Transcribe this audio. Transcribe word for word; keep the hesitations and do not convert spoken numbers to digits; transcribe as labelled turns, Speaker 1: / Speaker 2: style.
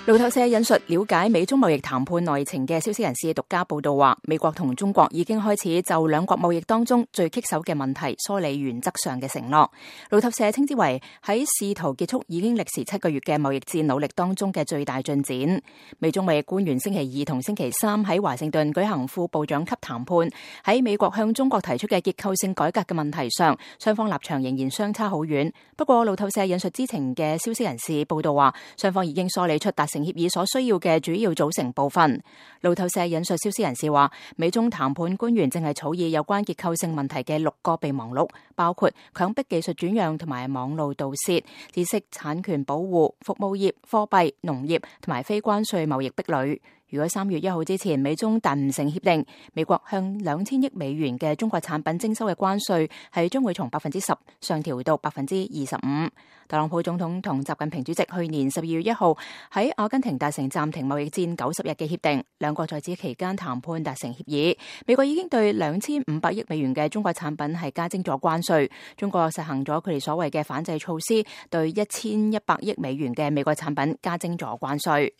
Speaker 1: 路透社引述了解美中貿易談判內情嘅消息人士獨家報道話，美國同中國已經開始就兩國貿易當中最棘手嘅問題梳理原則上嘅承諾。路透社稱之為喺試圖結束已經歷時七個月嘅貿易戰努力當中嘅最大進展。美中貿易官員星期二同星期三喺華盛頓舉行副部長級談判，喺美國向中國提出嘅結構性改革嘅問題上，雙方立場仍然相差好遠。不過路透社引述知情嘅消息人士報道話，雙方已經梳理出達成協議所需要嘅主要組成部分。路透社引述消息人士話，美中談判官員正係草擬有關結構性問題嘅六個備忘錄，包括強迫技術轉讓同埋網路盜竊、知識產權保護、服務業、貨幣、農業同埋非關稅貿易壁壘。如果三月一號之前美中達唔成協定，美國向兩千億美元嘅中國產品徵收嘅關稅係將會從百分之十上調到百分之二十五。特朗普總統同習近平主席去年十二月一號喺阿根廷達成暫停貿易戰九十日嘅協定，兩國在此期間談判達成協議。美國已經對兩千五百億美元嘅中國產品係加徵咗關稅，中國實行咗佢哋所謂嘅反制措施，對一千一百億美元嘅美國產品加徵咗關稅。